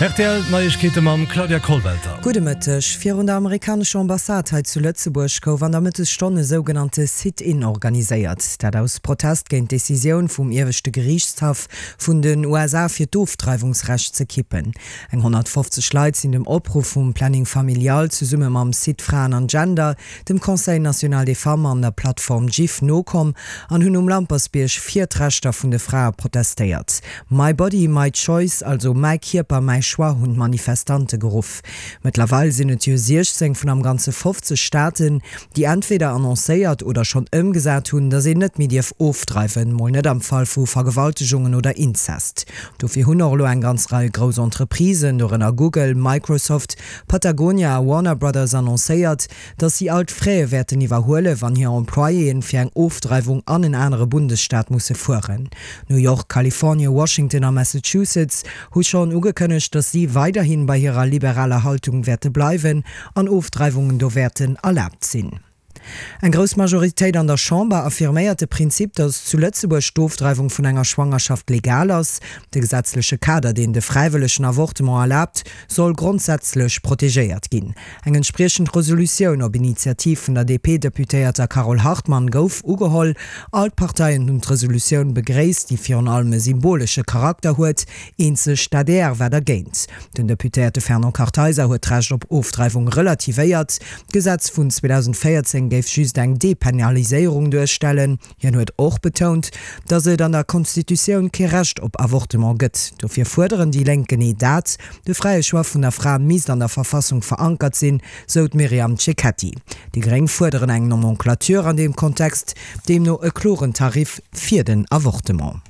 Rtl Neiegkeete mam Claudia Kollwelter. Gudde Mëtteg. Virun der amerikanescher Ambassade hei zu Lëtzebuerg gouf an der Mëttesstonn e sougenannte Sit-in organiséiert. Dat aus Protest géint d'Decisioun vum ieweschte Geriichtshaff vun den USA fir d'Ofdreiwungsrecht ze kippen. Eng 150 Leit sinn dem Opruff vum Planning Familial zesumme mam Site Fraen an Gender, dem Conseil national des femmes an der Plattform GIF nokomm an hunn um Lampersbierg fir d'Rechter vun de Frae protestéiert. My body, my choice, also mäi Kierper, mäi Choix hunn d'Manifestante geruff. Mëttlerweil sinn et jo 16 vun am Ganze 50 Staaten, déi entweder annoncéiert oder schonn ëmgesat hunn, datt een net méi dierf ofdreiwen, mol net am Fall vu Vergewaltegungen oder Inzest. Dofir hunn och elo eng ganz Rei grouss Entreprisen, dorënner Google, Microsoft, Patagonia a Warner Brothers annoncéiert, datt si all d'Fraie wäerten iwwerhuelen, wann hir Employéen fir eng Ofdreiwung an en anere Bundesstaat musse fueren. New York, Kalifornie, Washington a Massachusetts hu schonn ugekënnegt, datt si weiderhi bei hirer liberaler Haltung wäerte bleiwen an Ofdreiwungen do wäerten erlaabt sinn. Eng grouss Majoritéit an der Chamber affirméiert de Prinzip, datt zu Lëtzebuerg d'Ofdreiwung vun enger Schwangerschaft legal ass. De gesetzleche Kader, deen de fräiwëllegen Avortement erlaabt, soll grondsätzlech protegéiert ginn. Eng entspriechend Resolutioun op Initiativ vun der DP-Deputéierter Carole Hartmann gouf ugeholl. All d'Parteien hunn d'Resolutioun begréisst, déi virun allem e symbolesche Charakter huet. Eenzeg d'ADR war dergéint. Den Deputéierte Fernand Kartheiser huet d'Recht op Ofdreiwung relativéiert. D'Gesetz vun 2014 géif just eng Depenaliséierung duerstellen. Hien huet och betount, datt et an der Constitutioun kee Recht op Avortement gëtt. Dofir fuerderen déi Lénk genee dat, De fräie Choix vun der Fra misst an der Verfassung verankert sinn, sou d'Myriam Cecchetti. Déi Gréng fuerderen eng Nomenclature an deem Kontext, deemno e kloren Tarif fir den Avortement.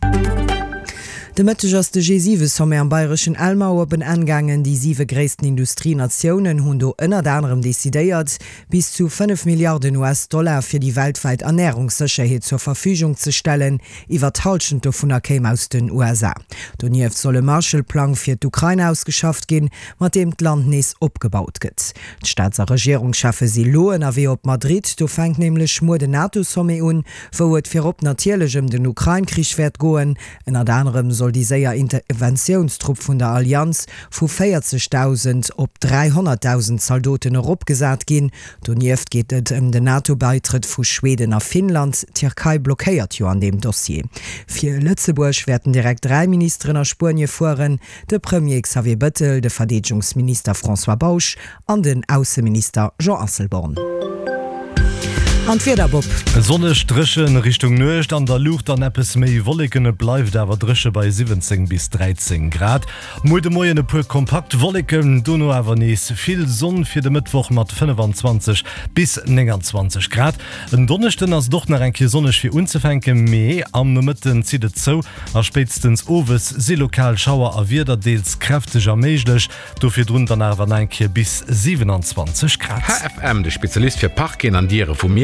De Mëtteg ass de G7-Sommet am bayreschen Elmau op en Enn gaangen. Déi siwe gréissten Industrienatiounen hunn do ënnert anerem decidéiert, bis zu 5 Milliarden US-Dollar fir déi weltwäit Ernärungssécherheet zur Verfügung ze stellen. Iwwer d'Hallschent dovunner kéim aus den USA. Donieft soll e Marshall-Plang fir d'Ukrain ausgeschafft ginn, mat deem d'Land nees opgebaut gëtt. D'Staats a Regierungscheffe si lo ënnerwee op Madrid. Do fänkt nämlech muer den NATO-Sommet un, wou et virop natierlech ëm den Ukrain-Krich wäert goen. Ënnert anerem soll déi séier Interventiounstrupp vun der Allianz vu 40.000 op 300.000 Zaldoten eropgesat ginn. Donieft geet et ëm den NATO-Baitrëtt vu Schweden a Finnland. D'Tierkei blockéiert jo an deem Dossier. Fir Lëtzebuerg wäerten direkt 3 Ministeren a Spuenie fueren, de Premier Xavier Bëttel, de Verdeedegungsminister François Bausch an den Ausseminister Jean Asselborn. An d'Wieder, Bob? Sonneg, dréchen Richtung Nuecht, an der Luucht dann eppes méi Wolleken. Et bleift awer dréche bei 17 bis 13 Grad. Muer de Moien e puer kompakt Wolleken, dono awer nees vill Sonn fir de Mëttwoch mat 25 bis 29 Grad. En Donneschden ass et och nach eng Kéier sonneg fir unzefänken, mee am Nomëtten zitt et zou a spéitstens owes si lokal Schauer a Wieder deels kräfteger méiglech. Do virdrun dann awer nach eng Kéier bis 27 Grad. HFM, de Spezialist fir Parqueten an Diere vu Miersch.